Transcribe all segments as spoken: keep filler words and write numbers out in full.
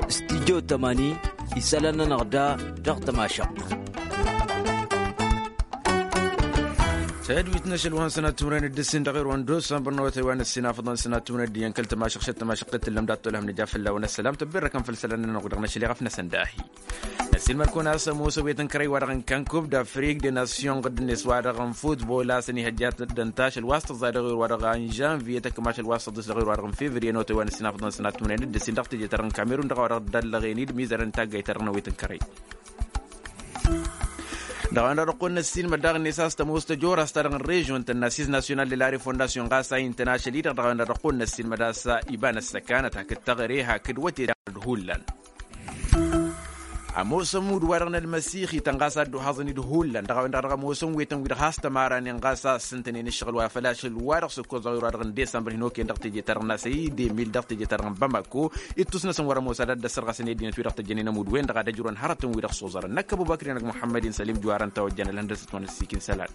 Studyo tămani isălan-nănăɣ da dăɣ-tămašăɣt. Tădwit n-ašăl wa n-sănat timren d-ǝssin dăɣ-irwan d-osan bărnăwătăy wa n-ǝssin afăḍăn sănat timren d-iyyăn kăl-tămašăɣ šăt tămašăɣ tăt-tǝllăm dat-tolhăm nǝja fălla-wăn ăssălam tăbberrăkăn făll-isălan-nănăɣ dăɣ-năšăl iɣăf-năsăn dahi. Năssiilmăr-kăwăn a-s ămoosăn wi tăn-kărăy wa dăɣ-n kănkub d-afrik de nasyon ɣǝdd-net wa dăɣ-n futbol a-s ănihăjja d-ănta ašăl wa s-tăẓẓay dăɣ-ewăr wa dăɣ-n žănvye tăkma ašăl wa s-tăḍis dăɣ-ewăr wa dăɣ-n fevriye n-otăy wa n-ǝssin afăḍăn sănat timren d-ǝssin dăɣ-teje-ta-dăɣ n-kamerun dăɣ-a-wa dăɣ-dd-ăllăɣen-dd mizărăn taggayt-ta-dăɣ n-ewăy tăn-kărăy. Dăɣ-a-wen-dăɣ dăɣ-kăwăn-năssiilmăr daɣ-net a-s tămoos tăjora s-ta-dăɣ n-režion tănn-assiz nasyonal de la refondasyon ɣas a intăn ašăl-i-dăɣ dăɣ-a-wen-dăɣ dăɣ-kăwăn-năssiilmăd a-s iba n-ăssăkanăt hakd teɣăre hakd wăte-dăɣ d-hullan. Ămoos ămudd-wa-dăɣ n-ălmăsixităn ɣas a dd-uhaẓăn-dd hullan dăɣ-a-wen-dăɣ dăɣ-ămoosăn wetăn-wi-dăɣ has-tămaranen ɣas a ǝssǝntănen ǝššăɣǝl wa făl ašăl-wa-dăɣ s-ǝkkoẓ dăɣ-ewăr wa-dăɣ n-desămbăr hin-okăyăn dăɣ-teje-ta-dăɣ n-asăy d-emil dăɣ-teje-ta-dăɣ n-bamako. Ittus-năsăn wăr-ămoos ad-ăddăsărɣăsăn i-ăddinăt-wi-dăɣ tăjjănen ămudd-wen-dăɣ ad-ăjrăwăn hărătăn-wi-dăɣ s-oẓărăn năkkăbubăkri-năk muḥămmăd-in sălim juwarăn tawăjjan ălhăndăsăt wa n-ăssiik n-isălan.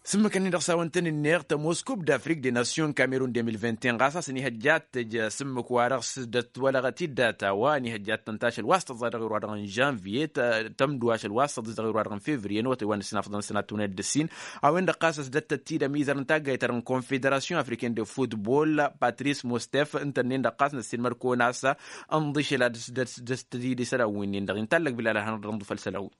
Sǝmmǝk-nin-dăɣ s-a-wăn tăn-ǝnneɣ tămoos kub d-afrik de nasyon kamerun de mil vingt et un ɣas a-s ănihăjjat tăj asǝmmǝk-wa-dăɣ s-dd-ătwălăɣăt-dd data wa ănihăjjat tăn-tašăl wa s-tăẓẓa dăɣ-ewăr wa-dăɣ n-žănviye tămdǝw ašăl wa s-tăḍis dăɣ-ewăr wa-dăɣ n-fevriye n-otăy wa n-ǝssin afḍăn sănat tăwnet d-ǝssin. A-wen-dăɣ ɣas a-s dd-ăttăt-dd ămizăr n-taggayt-ta-dăɣ n-konfederasyon afriken de futbol patris mostef ǝntănnen-dăɣ ɣas năssiilmăr-kăwăn a-s ănḍišăl ad-dăr-s dăr-s tădidi isălan-win-nin-dăɣ intallăg bilal ad-hanăɣ-dd-ănḍǝfăl isălan-wi.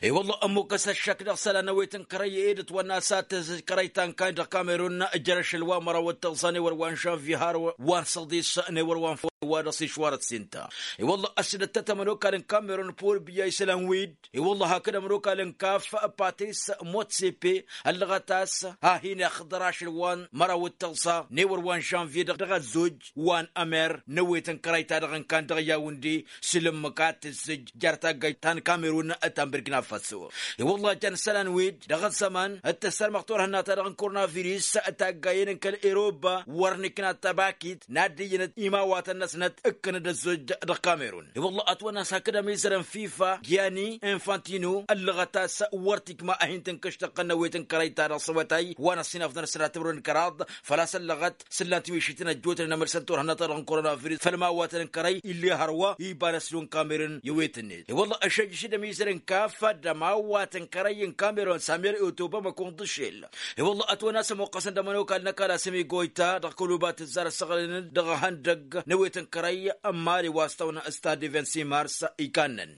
I-wălla ămmukăs ăššăk dăɣ-isălan n-ewăy tăn-kărăy ed ătwănna a-s ad-tǝzǝj kărăy ta n-kayy dăɣ-kamerun jer-ašăl wa n-măraw d-tăẓẓa n-ewăr wa n-žănvye har wa n-săḍis n-ewăr wa n-făw wa dăɣ-s išwar ăssinta. I-wălla ăssidăt tăt-ămănokal n-kamerun pol biya isălan-wi-dd i-wălla hakd ămănokal n-kaf patris motsepe ăllăɣăt a-s ad-hin-ixḍăr ašăl wa n-măraw d-tăẓẓa n-ewăr wa n-žănvye dăɣ-ăzzoj wa n-ămer n-ewăy tăn-kărăy ta dăɣ-n kan dăɣ-yawǝndi s-ǝlǝmmǝk ad-tǝzzǝj jer-taggayt ta n-kamerun ta n-bǝrkina faso. I-wălla jan isălan-wi-dd dăɣ-ăzzăman d-tăssărmăɣ turhǝnna-ta-dăɣ n-koronavirus taggayen n-kăl-eroba wăr nǝkna tabakit n-ad-dd-iyyǝnăt imawatăn-năsnăt ǝkkăn-dd ăzzoj dăɣ-kamerun. I-wălla ătwănna a-s hakd ămizăr n-fifa giyani infantino ăllăɣăt a-s wăr t-ikma ad-hin-tǝnkǝštăɣ n-ewăy tăn-kărăy-ta-dăɣ s-awătay wa n-ăṣṣinafḍăn s-sănatămrăwăn kăraḍ făl-a-s ăllăɣăt s-ǝllan tiwǝššiten ăjjootnen amărsăn turhǝnna-ta-dăɣ n-koronavirus făll-imawatăn n-kărăy ill'-e hărwa iba n-ăslun kamerun i-wet-net. I-wălla ăššăjjăš d-ămizăr n-kaf d-ămawat n-kărăy n-kamerun samer i-otobama kunḍǝšel. I-wălla ătwănna a-s ămoqqăsăn d-ămănokal n-ăkall a-s ămigoyta dăɣ-kăluba tǝzzar ăssaɣlănăn dăɣ-ihăndăgg n-ewet n-kărăy n-mali wa s-tawănna stad de vingt-six mars ikannăn.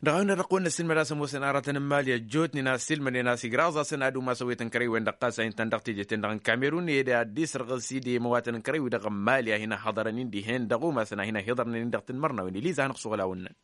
Dăɣ-a-wen-dăɣ dăɣ-kăwăn-năssiilmăd a-s ămoosăn aratăn n-imali ăjjootnen a ăssiilmădnen a-s igraẓ-asăn ad-umas ăwet n-kărăy-wen-dăɣ ɣas a intăn dăɣ-teje-ten-dăɣ n-kamerun ed ad-dd-isrăɣǝs-dd i-imawatăn n-kărăy-wi-dăɣ n-imali a hin-ăhhăḍărăn-in dihen dăɣ-umasăn a hin-ăhhiḍărnen-in dăɣ-tanmărnawen eliza a hanăɣ-suɣǝl-awăn-năn.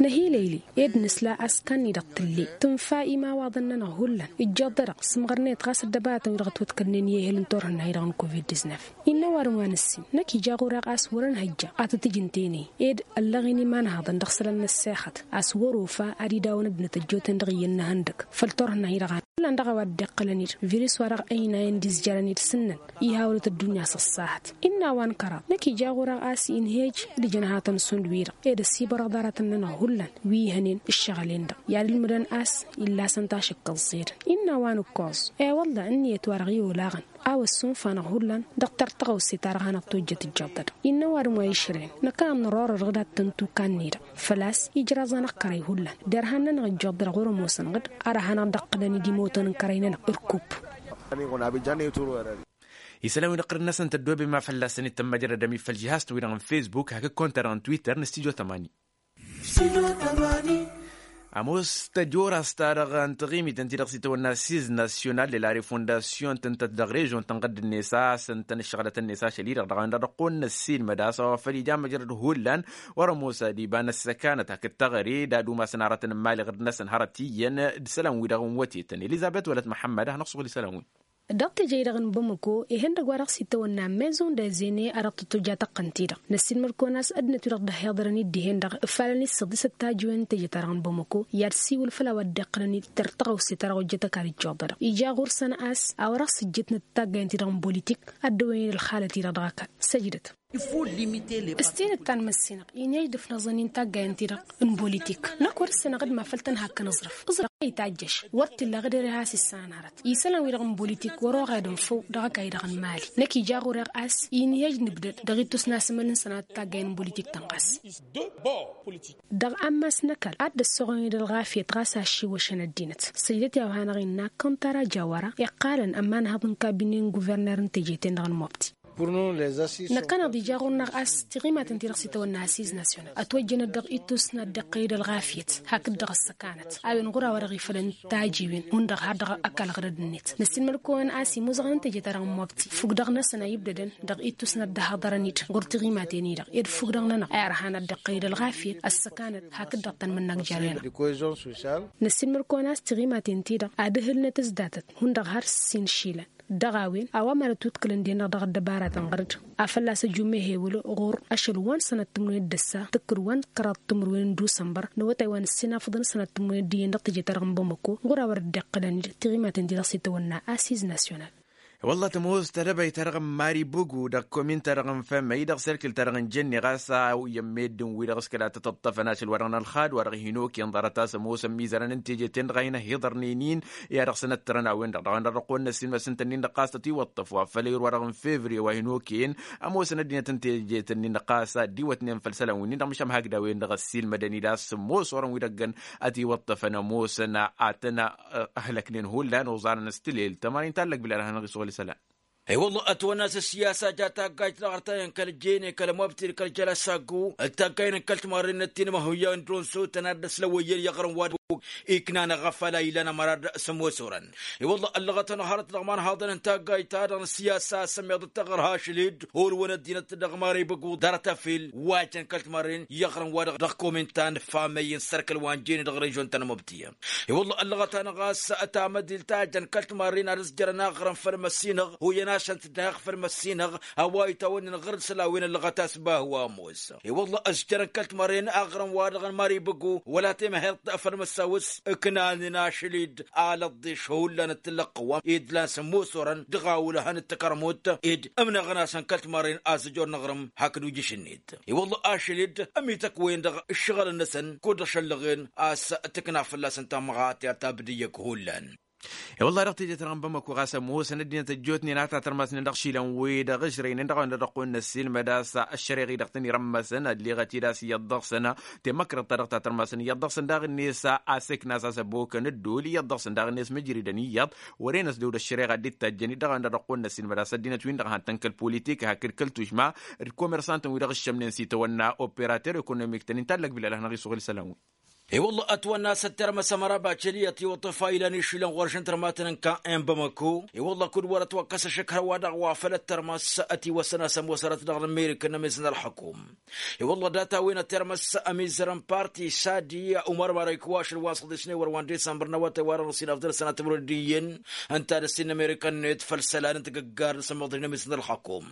Năhilăyli ed nǝsla a-s kannăy-dăɣ tǝlle tǝnfa imawaḍăn-nănăɣ hullan ǝjjeḍ-dăɣ sǝmɣărnet ɣas ăddăbaratăn-wi-dăɣ ătwăḍkălnen i-ehel n-turhǝnna-hi-dăɣ n-covid-disnăf. Innă ăwadǝm wa nǝssin năkk ija ɣur-e ɣas wăr-ănhăjja ad-tăt-ǝj ǝnta-en-i ed ăllăɣen imanhăḍăn dăɣ-isălan n-ăssexăt a-s wăr-ofa ad-idawăn ăddinăt ăjjootnen dăɣ-iyyăn n-ihăndăgg făll-turhǝnna-hi-dăɣ. Hullan dăɣ-a-wa dd-iqqălăn-dd virus-wa-dăɣ ăynayăn d-izjărăn-dd sǝnnăn ihawăl-t ăddunya s-ăṣṣahăt. Innă a-wa n-kăraḍ năkk ija ɣur-e ɣas inhej d-ijănhatăn šund-wi-dăɣ ed ăsibărăḍ aratăn-nănăɣ hullan wi ihănen ǝššăɣǝl-en-dăɣ i-ad-ǝlmǝdăn a-s illa a-s ǝnta a-s ǝkkăẓẓedăn. Innă a-wa n-ǝkkoẓ e-wălla ǝnniyăt-wa-dăɣ i-olaɣăn a-wa ăssunfa-năɣ hullan dăɣ-tărtăɣăwse ta dăɣ-hanăɣ-tojjăt ǝjjăḍ-dăɣ. Innă ăwadǝm wa išrăyăn năkk a ănrorăr dăɣ-dat tăn-tu kannăy-dăɣ făl-a-s ijraẓ-anăɣ kărăy hullan derhan-nănăɣ ǝjjăḍ-dăɣ wăr-ămoosăn ɣǝd. Ara hanăɣ-dd-ăqqǝlăn-dd imotăn n-kărăy-nănăɣ ărkub. Isălan wi n-iqqăr-năsăn tăddoobem a fălla-săn itămmăjrăd ămifăl žihaz-tăn-wi-dăɣ n-fesbuk hakd konta-dăɣ n-twitter n-studyo tămani. Ămoos tăjora s-ta-dăɣ n-taɣimit ǝnta-i-dăɣ s-itawănna siz nasyonal de la refondasyon tǝntăt dăɣ-režion tănɣădd-net a-s ǝntăn ǝššăɣlăt-net ašăl-i-dăɣ dăɣ-a-wen-dăɣ dăɣ-kăwăn-năssiilmăd a-s a-wa făl ija măjrăd hullan. Wăr-ămoos ad-iba n-ăssăkanăt hakd teɣăre d-ad-umasăn aratăn n-imali ɣǝrd-năsăn hărăt iyyăn d-isălan-wi-dăɣ n-wătetăn elizabet wălăt măḥămmăd a hanăɣ-suɣǝl isălan-wi. Dăɣ-teje-i-dăɣ n-bamako ihăndăgg wa dăɣ-s itawănna maison de zene a dăɣ-tătoja tăqqăn-t-i-dăɣ năssiilmăd-kăwăn a-s ăddinăt-wi-dăɣ dd-ăhhiḍărăn-dd dihen-dăɣ ǝfalăn-dd săḍisăt tajiwen n-teje-ta-dăɣ n-bamako i-ad-siwǝl făll-a-wa dd-iqqălăn-dd tărtăɣăwse ta dăɣ-ojjăt ăkall ǝjjuḍădăɣ ija ɣur-săn a-s a-wa dăɣ-s ǝjjǝtnăt taggayen-ti-dăɣ n-bolitik ad-dăwăyăn ălxalăt-i-dăɣ dăɣ-ăkall. Săjdăt. S-tinǝttan măssinăɣ inhăj d-ǝfnăẓăn-in taggayen-ti-dăɣ n-bolitik. Năkk wăr-ǝssinăɣ d-mafăl tăn-hakkăn aẓrǝf aẓrǝf a itajjăš. Wăr t-illa ɣǝd ere has-issanarăt isălan-wi-dăɣ n-bolitik wăr-oɣed ǝnfăw dăɣ-ăkall-i-dăɣ n-imali. Năkk ija ɣur-e ɣas inhăj d-nǝbdăd dăɣ-ittus n-asǝmăl n-sănat taggayen n-bolitik-tăn ɣas. Dăɣ-ammas n-ăkall ad-dd-ăssoɣăn-dd ălɣafyăt ɣas aššiwăšăn ăddinăt. Săjdăt i-a-wa hanăɣ-innă kăntar ajawăra iqqalăn ămanhăḍ n-kabine n-guverner n-teje-ten-dăɣ n-mobti. Năkkăneḍ ija ɣur-năɣ a-s tiɣimaten-ti-dăɣ s-itawănna asiz nasyonal ătwăjjănăt dăɣ-ittus n-ad-dd-iqqăyăd ălɣafyăt hakd-dăɣ ăssăkanăt a-wen ɣur-a-wa-dăɣ ifălăn tajiwen hundăɣ har dăɣ-ăkall ɣărăd-net. Năssiinmăl-kăwăn a-s imuzăɣăn n-teje-ta-dăɣ n-mobti fukdăɣ-năsăn a ibdădăn dăɣ-ittus n-ad-dd-ăhaḍărăn-dd ɣur-tiɣimaten-i-dăɣ ed fukdăɣ-nănăɣ a irhan ad-dd-iqqăyăd ălɣafyăt ăssăkanăt hakd-dăɣ tăn-mǝnnăk jer-enăɣ. Năssiinmăl-kăwăn a-s tiɣimaten-ti-dăɣ ad-ǝhǝlnăt s-datăt hundăɣ har s-inšilăn. Dăɣ-a-wen a-wa mad-ătwǝdkǝlăn-dd-en-dăɣ dăɣ-ăddăbaratăn ɣăr-dd. Afăl-a-s ăjummehe wăla ɣur-ašăl wa n-sănat timǝrwen d-ăssa tǝkkǝd wa n-kăraḍ timǝrwen n-dusănbăr n-awătay wa n-ǝssin afǝḍăn sănat timǝrwen d-iyyăn dăɣ-teje-ta-dăɣ n-bamăko ɣur-a wăr dd-iqqǝlăn-dd tiɣimaten-ti-dăɣ s-itawănna asiz nasyonal. I-wălla tămoos tedăbăy-ta-dăɣ n-mari bǝgu dăɣ-komin-ta-dăɣ n-fămăy dăɣ-serkǝl-ta-dăɣ n-jănne ɣas a iyyăn meddǝn-wi-dăɣ s-kăla tăt-ǝṭṭăfăn ašăl wa dăɣ-nălxad wa dăɣ-hin-okăyăn ḍarăt a-s ămoosăn mizărăn n-teje-ten-dăɣ a hin-ăhhiḍărnen-in. I-ad-dăɣ-săn ăttărăn a-wen-dăɣ dăɣ-a-wen-dăɣ dăɣ-kăwăn-năssin măsǝntăn-in-dăɣ ɣas tătiwăṭṭăf wa făl ewăr wa dăɣ-n fevriye wa hin-okăyăn ămoosăn ăddinăt n-teje-ten-in-dăɣ ɣas a dd-iwătnen făll-isălan wi-nin-dăɣ măšan hakd a-wen-dăɣ ăssiilmădăn-dd a-s sǝmmos orăn-wi-dăɣ găn ătiwăṭṭăfăn ămoosăn a tăn-ăhlăknen hullan uẓanăn s-tǝlel tămăra inta ăllăg bilal ad-hanăɣ-isuɣǝl isălan. I-wălla ătwănna a-s ăssiyasa ja taggajt dăɣ-artayăn kăl-jene kăl-mobti d-kăl-jăla saggu d-taggayen n-kăl-timarren n-ăttinmăhuyyăn d-unsu tănad-dăɣ s-lăwăyyăn i-aɣrǝm wa d-iknan ăɣăfăl a ilan ămăra d-sămosorăn. I-wălla ăllăɣăt-anăɣ hărăt dăɣ-imanhaḍăn n-taggajt-ta-dăɣ n-ăssiyasa a sămmeḍăt taɣărha ašlid hulwăn ăddinăt dăɣ-mari băggu ḍarăt afil wa jăn kăl-timarren i-aɣrǝm wa dăɣ-komintan famăyy n-sărkăl wa n-jene dăɣ-režon ta n-mobti. I-wălla ăllăɣăt-anăɣ a-s tamădilt ta jăn kăl-timarren ad-ăzjărăn aɣrǝm făll-măssinăɣ huyăn-asăn-t daɣ făll-măssinăɣ a-wa itawănnen ɣur-dd isălan wi n-ăllăɣăt a-s bahu ămoos. I-wălla ăzjărăn kăl-timarren aɣrǝm wa dăɣ-nămăr ibǝgu wăla temăheḍt făll-măssaw s-ǝknanen ašăl-dd alăḍḍeš hullan d-tǝllăɣ qǝwwam ed lan s-ămoos orăn dăɣ-a wăl' hăn d-takărmut ed ǝmnăɣăn-asăn kăl-timarren azǝjor n-aɣrǝm hakd ujǝš-net. I-wălla ašăl-dd ămităkwen dăɣ-ǝššăɣǝl-năsăn kud-ăšăllăɣen a-s tǝkna fălla-săn tamɣatert ta bădǝyyăk hullan. I-wălla dăɣ-teje-ta-dăɣ n-bamăko ɣas ămoosăn ăddinăt ăjjootnen a tatărmasnen dăɣ-išilan-wi-dăɣ ǝžrăynen dăɣ-a-wen-dăɣ dăɣ-kăwăn-năssiilmăd a-s ăššăreɣ-i-dăɣ tăn-irămmăsăn ălleɣăt-dd a-s iyyăḍ dăɣ-săn. Temăkrăḍt ta dăɣ-tatărmasăn iyyăḍ dăɣ-săn daɣ-net a-s eknas a-s ăbokăn ǝddul iyyăḍ dăɣ-săn daɣ-net mǝjridăn iyyăḍ. Wăren ăsdăw d-ăššăreɣa dd-ittajjăn-dd dăɣ-a-wen-dăɣ dăɣ-kăwăn-năssiilmăd a-s ăddinăt-win-dăɣ han-tăn-kăl-politik hakd kăl-tušma d-komersantăn-wi-dăɣ ǝššămnen s-itawănna operater ekonomik-tăn inta ăllăg bilal ad-hanăɣ-isuɣǝl isălan-wi. I-wălla ătwănna a-s ăttermăs ămăra bacăliyăt iwăṭṭăf a ilan išilăn ɣur-ašăn tărmatăn n-ka'en bamăko. I-wălla kud-wăr-ătwăkkăs ašǝkhăr-wa-dăɣ wa făl ăttărmăs ătiwăssăn a-s ămoos hărăt dăɣ-n amerika n-amez n-ălxăkum. I-wălla data-wen ăttermăs ămizărăn parti sadi umăr marăyk wa ašăl wa n-săḍisnewăr wa n-disămbăr n-awătay wa dăɣ-năsinafdăr sănatămrăd d-iyyăn ǝnta ad-ăssin n-amerika-net făll-isălan n-tagăggar n-asǝmmăḍri n-amez n-ălxăkum.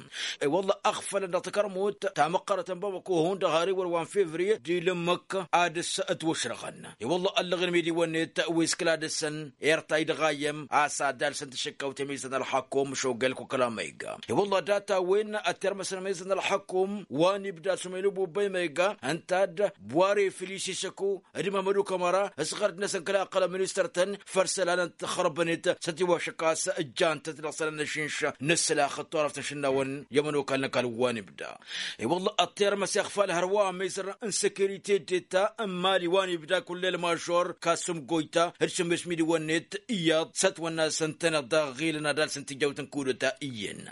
I-wălla ăɣfălăn dăɣ-takărmut tamăqqărăt n-bamăko hundăɣ har iwăr wa n-fevriye d-ilǝmmǝk ad-dăɣ-s ătwăšrăɣăn. I-wălla ăllăɣen imidiwăn-net wi s-kǝla dăɣ-săn irtay dăɣ-ayyăm a-s ad-alsăn tašǝkkawt i-amizăn ălxăkum šogăl kukăla ma iga. I-wălla data-wen ăttermăsăn amizăn ălxăkum wa n-ibda sumenubu băy ma iga ǝnta d-bware filisis ăku d-mamădu kămăra s-ɣărd-năsăn kăla ăqqălăn ministăr-tăn făr isălan n-tăxrăbănet s-ătiwăšăk a-s ǝjjan-tăt dăɣ-isălan n-ašǝnš n-ǝssǝlax d-turăft n-išǝnnawăn i-ămănokal n-ăkall wa n-ibda. I-wălla ăṭṭermăs iɣfal hărwa amizăr n-sekirite d-eta n-mali wa n-ibda kullel mažor kasum goyta d-sǝmmes midiwăn-net iyyăḍ s-ătwănna s-ǝntăneḍ daɣ ɣilăn ad-alsăn tijawt n-kudăta iyyăn.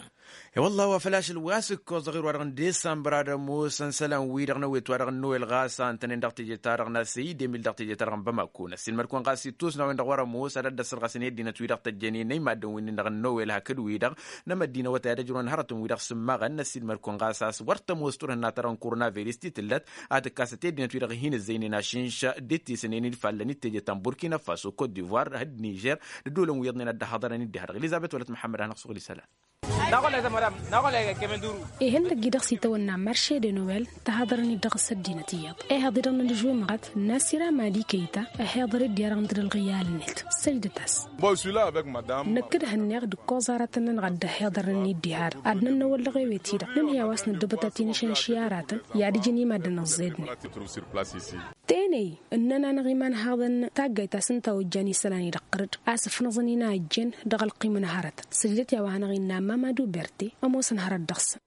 I-wălla wa făl ašăl wa s-ǝkkoẓ dăɣ-irwa-dăɣ n-disămbra d-ămoosăn isălan-wi-dăɣ n-ewet wa dăɣ-n nowel ɣas a ǝntănen dăɣ-teje-ta-dăɣ n-asăy d-emil dăɣ-teje-ta-dăɣ n-bamako năssiilmăd-kăwăn ɣas ittus n-a-wen-dăɣ wăr-ămoos ad-ăddăsălɣăsăn i-ăddinăt-wi-dăɣ tăjjănen i-maddǝn-wi-nin-dăɣ n-nowel hakd-wi-dăɣ n-amăddinăwăt a i-ad-ăjrăwăn hărătăn-wi-dăɣ s-ǝmmăɣăn năssiilmăd-kăwăn ɣas a-s wăr tămoos turhǝnna-ta-dăɣ n-koronavirus ti tǝllăt a tǝkkasăt i-ăddinăt-wi-dăɣ hin-ǝzzăynen ašǝnš d-ittisǝnen-in fallăn d-teje ta n-burkina faso kot divoir d-nižer d-ăddolăn wi iyyăḍnen a dd-ăhhăḍărăn d-diha-dăɣ elizăbet wălăt muḥămmăd a hanăɣ-suɣǝl isălan. Ihăndăgg-i-dăɣ s-itawănna marše de nowel. Tăhaḍărăn-dd dăɣ-s ăddinăt iyyăḍ ehăḍ-i-dăɣ n-anǝžwimɣăt n-asira mali kăyta. Ăhiḍăr-dd i-arăɣ n-tădălɣi i-alnet săjdăt-as. Năkk d-hănneɣ d-ǝkkoẓ aratăn-nănăɣ ad-dd-ăhiḍărăn-dd diha-dăɣ ad-nănnăwăl dăɣ-ewet-i-dăɣ nǝnhǝy a-wa s-nǝddǝbăt ad-t-inǝšăn ši aratăn. I-ad-ǝjǝn i-maddǝn ăẓẓednen teney ǝnnăn-anăɣ imanhaḍăn taggayt ta s-ǝnta ojjan isălan-i-dăɣ ɣăr-dd a-s ǝfnăẓăn-in a ăjjeen dăɣ-ălqim n-hărătăn. Săjdăt i-a-wa hanăɣ-innă mamadu berte ămoosăn hărăt dăɣ-săn.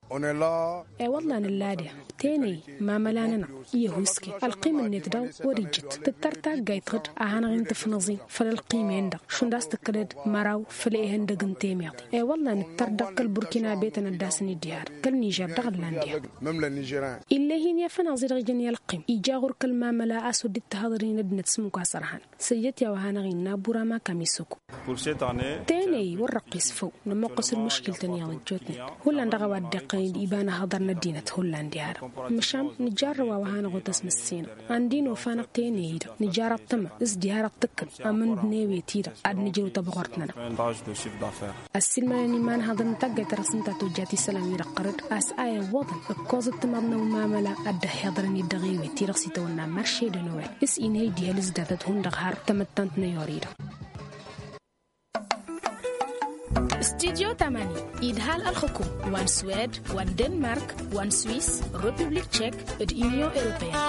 E-wălla nǝlla deɣ teney mamăla-nănăɣ i-ăhuske ălqim-net dăɣ-wăr ijjǝt tǝttăr taggayt ɣǝd a hanăɣ-in tǝfnăẓi făll-ălqim-en-dăɣ šund a-s tǝkkălăd măraw făll-ehăndăg n-temeḍe. E-wălla nǝttăr dăɣ-kăl-burkina betăn ad-dd-asăn-dd diha-dăɣ kăl-nižer dăɣ-ǝllan diha-dăɣ. Ill'-e hin-i-afănaẓ-i-dăɣ ijăn i-ălqim ija ɣur-kăl-mamăla a-s wăr dd-tăhaḍăr-in ăddinăt s-ǝmmǝk wa s-ărhan. Săjdăt i-a-wa hanăɣ-innă burama kamisăko. Tenăy wăr răqqis făw nămoqqăs ălmǝškǝl-tăn iyyăḍ ăjjootnen. Hullan dăɣ-a-wa dd-iqqălăn iba n-ahăḍăr n-ăddinăt hullan diha-dăɣ. Măšan nǝjjarrăw a-wa hanăɣ-otăs măssinăɣ andi n-ofa-năɣ tenăy-i-dăɣ nǝjjar ăṭṭăma s-diha-dăɣ tǝkkǝl amǝnd n-ewet-i-dăɣ ad-nǝjrǝw tăbɣurt-nănăɣ. Ăssiilmădăn imanhăḍăn n-taggayt ta dăɣ-s ǝnta tojjat isălan-wi-dăɣ ɣărăd a-s a iwwăḍăn ǝkkoẓ ǝttǝmaḍ n-awmamăla ad-dd-ăhhiḍărăn-dd dăɣ-ewet-i-dăɣ s-itawănna marše de nowel. S-inhăy d-ihăl s-datăt hundăɣ har tamăttant n-ayori-dăɣ. Studyo tamani idhal ălxǝkum wa n-swed wa n-denmark wa n-swis, republik tšek, d-inyon europeyăn.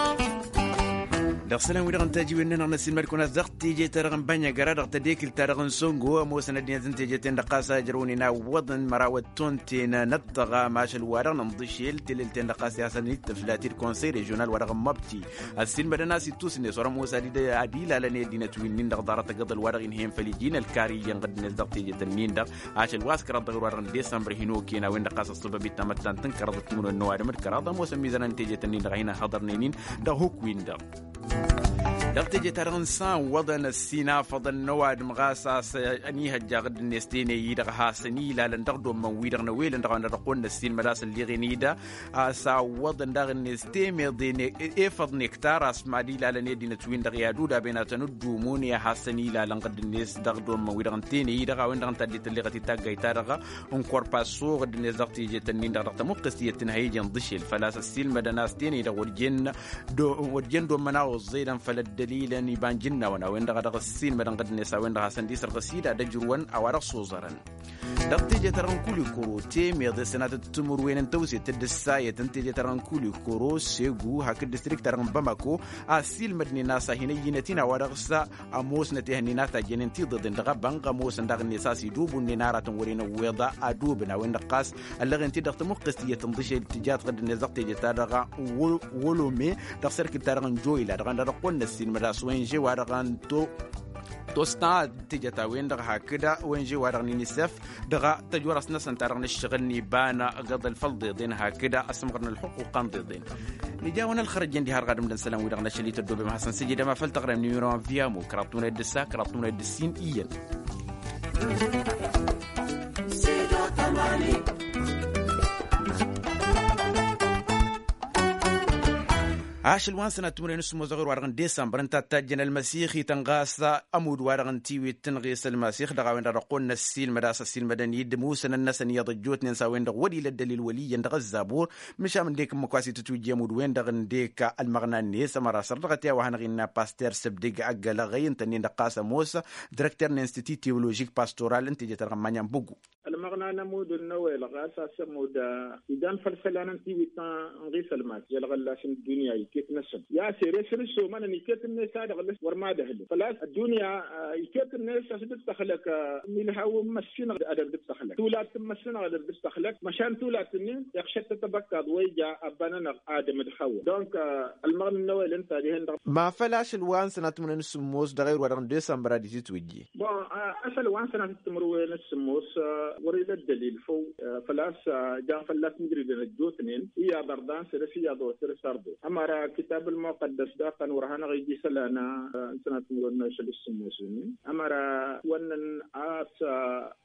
Dăɣ-isălan-wi-dăɣ n-tajiwen-nănăɣ n-ăssiilmăd-kăwăn-as dăɣ-teje ta dăɣ-n bănyăgăra dăɣ-tedekǝlt ta dăɣ-n songo ămoosăn ăddinăt n-teje-ten-dăɣ ɣas a ǝjrăwăn inaw iwwăḍăn măraw ătton-ten ăṭṭăɣa mašăl-wa-dăɣ n-inḍǝšel telel-ten-dăɣ ɣas i-hasăn-dd-tǝfla ti d-konsey režional wa dăɣ-n măbti. Ăssiilmădăn a-s ittus-net wăr-ămoos ad-ilalăn i-ăddinăt wi-nin-dăɣ ḍarăt agǝḍăl wa dăɣ-inhăyăn făll-iji n-ălkar iyyăn ɣǝddǝnet dăɣ-teje-tăn-in-dăɣ ašăl wa s-kăraḍ dăɣ-ewăr wa dăɣ-n disămbăr hin-okăyăn a-wen-dăɣ ɣas ăṣṣăbăb-i d-tamăttant n-kăraḍ d-timǝrwen n-ăwadǝm d-kăraḍ ămoosăn mizănăn teje-tăn-in-dăɣ a hin-ăhhăḍărnen-in dăɣ-huk-win-dăɣ. Dăɣ-teje-ta-dăɣ n-san iwwăḍăn ăssinafăḍăn n-ăwadǝm ɣas a-s ănihăjja ɣǝdd-net teney-i-dăɣ a hasăn-ilalăn dăɣ-dd-ommăn-wi-dăɣ n-ăwelăn dăɣ-a-wen-dăɣ dăɣ-kăwăn-năssiilmăd a-s ălleɣen-i-da. A-s a ǝwwăḍăn daɣ-net temeḍe efăḍ nektar a-s mad-ilalăn i-ăddinăt-win-dăɣ i-ad-udaben ad-tăn-ǝddumun i-ad-hasăn-ilalăn ɣǝdd-net dăɣ-dd-ommăn-wi-dăɣ n-teney-i-dăɣ a-wen-dăɣ ǝnta a dd-tălleɣăt i-taggayt-ta-dăɣ n-korpaso ɣǝdd-net dăɣ-teje-tăn-in-dăɣ dăɣ-tămuqqest iyyăt tǝnhăy ija ǝnḍǝšel făl-a-s ăssiilmădăn a-s teney-i-dăɣ wăr jen wăr jen dd-ommăn a oẓẓedăn făll-ăddălilăn iba n-ijǝnnawăn a-wen-dăɣ a dăɣ-ăssiilmădăn ɣǝdd-net a-wen-dăɣ hasăn-dd-isărɣǝs-i d-ad-ăjrǝwăn a-wa dăɣ-s oẓărăn. Dăɣ-teje-ta-dăɣ n-kulikoro temeḍe sănatăt timǝrwen n-tawset d-ǝssayăt n-teje-ta-dăɣ n-kulikoro segu hak d-distrikt-ta-dăɣ n-bamako a ăssiilmădnen a-s a hin-ăyyinăt-in a-wa dăɣ-s ămoosnăt ehăn-in a tajjănen tiḍeḍen dăɣ-abănɣ ămoosăn daɣ-net a-s idubunnen aratăn wăren ăwweḍa adubǝn a-wen-dăɣ ɣas ăllăɣen-t-dd dăɣ-tamuqqest iyyăt n-iḍǝšel tǝjat ɣǝdd-net dăɣ-teje-ta-dăɣ n-wolome dăɣ-sărkǝl-ta-dăɣ n-joyla dăɣ-a dăɣ-kăwăn-năssiilmăd a-s wen žewa dăɣ-a n-to tostan tijăt a-wen-dăɣ hakd wenže-wa-dăɣ n-inisef dăɣ-tăjorăst-năsăn ta dăɣ-nǝššăɣǝl n-iba n-agǝḍăl făll-ḍeḍen hakd ăsmăɣrăn ălxuqquq n-ḍeḍen. Nǝja-wăn ălxărăjăn diha dăɣ-adǝm d-isălan-wi-dăɣ n-ašăl ităddobem ad-hasăn-sǝjǝdăm a făl tăɣrem n-imǝrăwăn via mukra tmăned d-ǝssa kra tmăned d-ǝssin iyyăn. Ašăl wa n-sănat timǝrwen s-sǝmmos dăɣ-ewăr wa-dăɣ n-disămbăr ǝnta a t-tajjăn ălmăsixităn ɣas ămudd-wa-dăɣ n-tiwit tǝnɣes ălmăsix dăɣ-a-wen-dăɣ dăɣ-kăwăn-năssiilmăd a-s ăssiilmădăn-dd ămuusăn ănnăsăn iyyăḍ ăjjootnen s-a-wen-dăɣ wăr-ila ăddălil wăl' iyyăn dăɣ-ăzzabur. Măšan ǝndek ǝmmǝk wa s-itǝtwǝjji ămudd-wen-dăɣ ǝndek ălmăɣna-net ămăra săr-dăɣ ătya wa hanăɣ-innă paster săbdǝg ăggălăɣăy ǝnta-nin-dăɣ ɣas ămoos direkter n-institut teoložik pastoral n-teje-ta-dăɣ n-manyăn bǝggu. Ălmăɣna n-ămudd n-nowel ɣas a-s ămudd ijan făll-isălan n-tiwit n-ɣis ălmas i-ălɣăllas n-ăddunya iket-năsăn i-a-s ere s-ǝlsomănăn iket-net a dăɣ-lăs wăr mad-ăhlǝn făl-a-s ăddunya iket-net a-s dd-tăxlăk milhaw n-măssinăɣ ad-dd-tăxlăk tulat n-măssinăɣ ad-dd-tăxlăk măšan tulat-nin iɣšăt-tăt ăbăkkaḍ wa ija abba-nănăɣ adǝm d-hăwwa donc ălmăɣna n-nowel ǝnta dihen-dăɣ. Ma făl ašăl wa n-sănat timǝrwen s-sǝmmos dăɣ-ewăr wa-dăɣ n-disămbăr ad-itǝtwǝjje. Bon ašăl wa n-sănat timǝrwen s-sǝmmos wăr-ila ăddălil făw făl-a-s jan fălla-s mǝjrǝdăn ăjjootnen iyyăḍ ărḍan săr-s iyyăḍ wa săr-s ărḍen ămăra kitab ălmuqăddăs daɣ tăn-wăr hanăɣ-ija isălan n-sănat timǝrwen n-ašăl s-sǝmmos-nin ămăra wănnăn a-s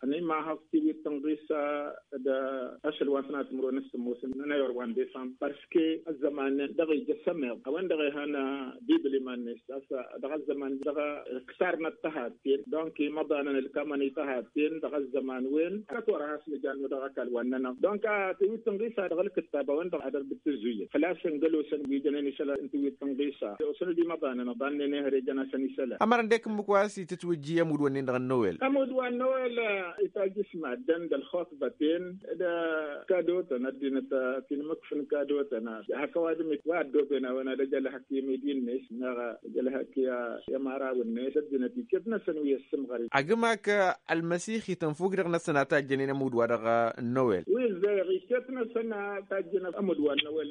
ănimahăẓ tiwit tǝnɣis d-ašăl wa n-sănat timǝrwen s-sǝmmos n-ewăr wa n-disămbăr parce que ăzzăman-nin dăɣ-ija s-ămeḍ a-wen-dăɣ ehăn bibǝl iman-net a-s dăɣ-ăzzăman dăɣ-ǝksarnăt tăhatten donc imăḍanăn ǝlkamăn i-tăhatten dăɣ-ăzzăman wen. Ad-t-wăr-has nǝjan-nănăɣ dăɣ-ăkall wa ǝnnănăɣ donc a tǝwit tǝnɣisa dăɣ-ǝlkǝttab a-wen-dăɣ ad-ărbǝd tǝzzuyǝd făl-a-s ǝngălosăn wi jănen isălan n-tǝwit tǝnɣisa osăn-dd imăḍanăn ăḍannen ehăre jăn a-săn isălan. Ămărăn dek ǝmmǝk wa s-itǝtwǝjji ămudd-wǝnnin-dăɣ n-nowel. Ămudd wa n-nowel itajjǝs maddǝn d-ălxuṭbăten d-kadotăn ăddinăt ti n-imǝkf n-kadotăn hak ăwadǝm-it wa ăddoben a-wen ad-ăj ălhăk i-midi-net neɣ ăj ălhăk i-ămăraw-net d-ăddinăt iket-năsăn wi ăssǝmɣăr-i. Agǝmak ălmăsixit ănfuk dăɣ-năsăn a tajjănen ămudd-wa-dăɣ n-nowel. Wi ǝzzayăɣ iket-năsăn a tajjăn ămudd wa n-nowel.